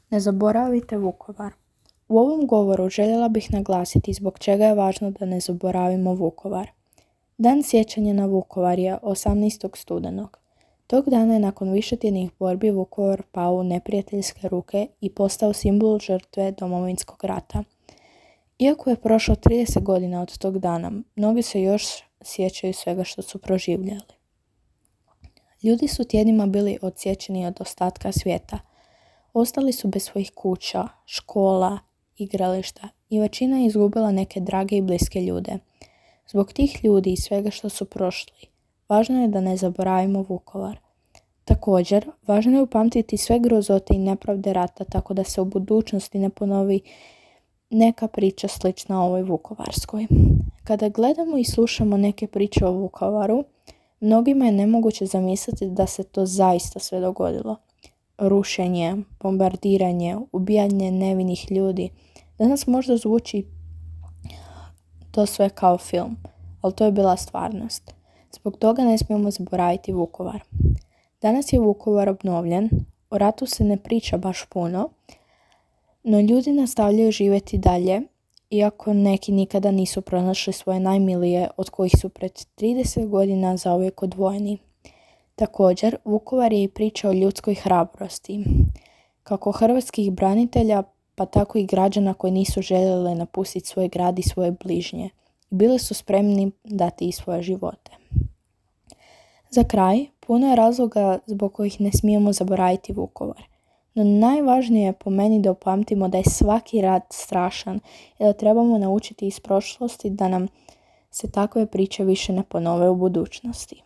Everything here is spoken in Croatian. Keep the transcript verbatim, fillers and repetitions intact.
Ne zaboravite Vukovar. U ovom govoru željela bih naglasiti zbog čega je važno da ne zaboravimo Vukovar. Dan sjećanja na Vukovar je osamnaestog studenog. Tog dana je nakon višetjednih borbi Vukovar pao u neprijateljske ruke i postao simbol žrtve Domovinskog rata. Iako je prošlo trideset godina od tog dana, mnogi se još sjećaju svega što su proživljali. Ljudi su tjednima bili odsječeni od ostatka svijeta. Ostali su bez svojih kuća, škola, igrališta i većina je izgubila neke drage i bliske ljude. Zbog tih ljudi i svega što su prošli, važno je da ne zaboravimo Vukovar. Također, važno je upamtiti sve grozote i nepravde rata tako da se u budućnosti ne ponovi neka priča slična ovoj vukovarskoj. Kada gledamo i slušamo neke priče o Vukovaru, mnogima je nemoguće zamisliti da se to zaista sve dogodilo. Rušenje, bombardiranje, ubijanje nevinih ljudi. Danas možda zvuči to sve kao film, ali to je bila stvarnost. Zbog toga ne smijemo zaboraviti Vukovar. Danas je Vukovar obnovljen, o ratu se ne priča baš puno, no ljudi nastavljaju živjeti dalje, iako neki nikada nisu pronašli svoje najmilije od kojih su pred trideset godina zauvijek odvojeni. Također, Vukovar je i priča o ljudskoj hrabrosti, kako hrvatskih branitelja, pa tako i građana koji nisu željeli napustiti svoj grad i svoje bližnje. Bili su spremni dati i svoje živote. Za kraj, puno je razloga zbog kojih ne smijemo zaboraviti Vukovar. No najvažnije je po meni da upamtimo da je svaki rat strašan i da trebamo naučiti iz prošlosti da nam se takve priče više ne ponove u budućnosti.